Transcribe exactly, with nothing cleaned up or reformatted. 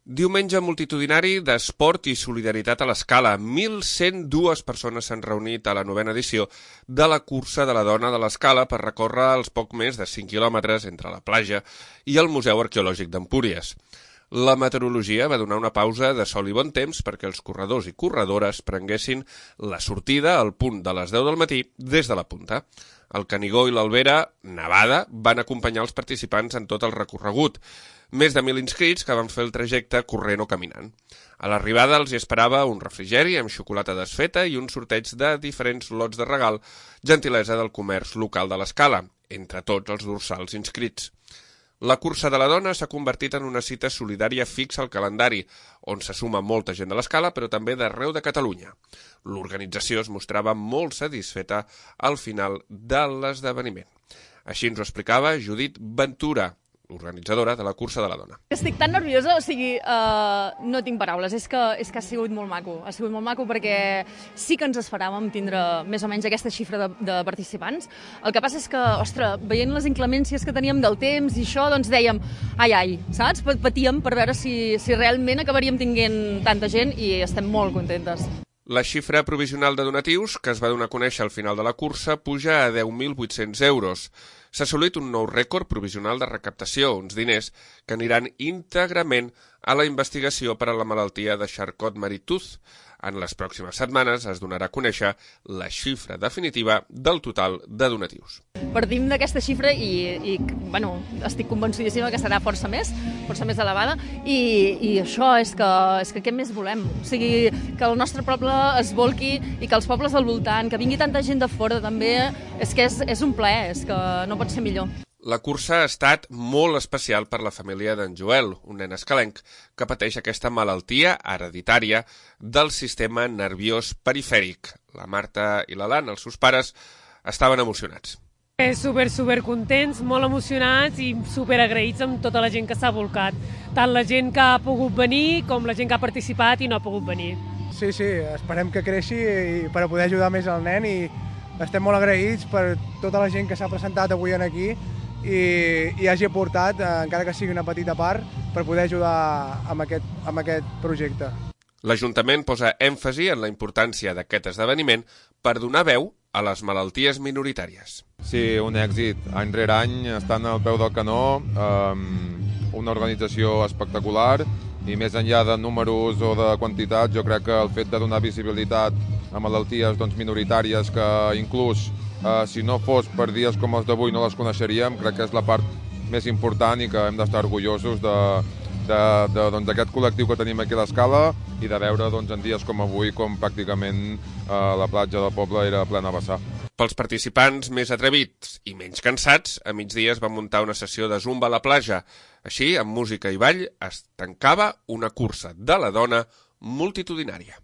Diumenge multitudinari d'esport i solidaritat a l'Escala. mil cent dues persones s'han reunit a la novena edició de la cursa de la dona de l'Escala per recórrer els poc més de cinc quilòmetres entre la platja i el Museu Arqueològic d'Empúries. La meteorologia va donar una pausa de sol i bon temps perquè els corredors i corredores prenguessin la sortida al punt de les deu del matí des de la punta. El Canigó i l'Albera, nevada, van acompanyar els participants en tot el recorregut. Més de mil inscrits que van fer el trajecte corrent o caminant. A l'arribada els hi esperava un refrigeri amb xocolata desfeta i un sorteig de diferents lots de regal, gentilesa del comerç local de l'Escala, entre tots els dorsals inscrits. La cursa de la dona s'ha convertit en una cita solidària fixa al calendari, on se suma molta gent de l'Escala, però també d'arreu de Catalunya. L'organització es mostrava molt satisfeta al final de l'esdeveniment. Així ens ho explicava Judit Ventura, organitzadora de la cursa de la dona. Estic tan nerviosa, o sigui, uh, no tinc paraules, és que, és que ha sigut molt maco, ha sigut molt maco perquè sí que ens esperàvem tindre més o menys aquesta xifra de, de participants. El que passa és que, ostres, veient les inclemències que teníem del temps i això, doncs dèiem, ai, ai, saps? Patíem per veure si, si realment acabaríem tinguent tanta gent i estem molt contentes. La xifra provisional de donatius, que es va donar a conèixer al final de la cursa, puja a deu mil vuit-cents euros. S'ha assolit un nou rècord provisional de recaptació, uns diners que aniran íntegrament a la investigació per a la malaltia de Charcot-Marie-Tooth. En les pròximes setmanes es donarà a conèixer la xifra definitiva del total de donatius. Partim d'aquesta xifra i, i bueno, estic convencidíssima que serà força més, força més elevada, i, i això és que, és que què més volem? O sigui, que el nostre poble es volqui i que els pobles al voltant, que vingui tanta gent de fora també, és que és, és un plaer, és que no pot ser millor. La cursa ha estat molt especial per la família d'en Joel, un nen escalenc que pateix aquesta malaltia hereditària del sistema nerviós perifèric. La Marta i l'Alan, els seus pares, estaven emocionats. Super, super contents, molt emocionats i super agraïts amb tota la gent que s'ha volcat. Tant la gent que ha pogut venir com la gent que ha participat i no ha pogut venir. Sí, sí, esperem que creixi per poder ajudar més al nen i estem molt agraïts per tota la gent que s'ha presentat avui aquí i, i hagi aportat, encara que sigui una petita part, per poder ajudar amb aquest, amb aquest projecte. L'Ajuntament posa èmfasi en la importància d'aquest esdeveniment per donar veu a les malalties minoritàries. Sí, un èxit. Any rere any estan al peu del canó, eh, una organització espectacular i més enllà de números o de quantitats, jo crec que el fet de donar visibilitat a malalties doncs, minoritàries que inclús Uh, si no fos per dies com els d'avui no les coneixeríem, crec que és la part més important i que hem d'estar orgullosos d'aquest doncs, col·lectiu que tenim aquí a l'Escala i de veure doncs, en dies com avui com pràcticament uh, la platja del poble era plena a vessar. Pels participants més atrevits i menys cansats, a migdia es va muntar una sessió de zumba a la platja. Així, amb música i ball, es tancava una cursa de la dona multitudinària.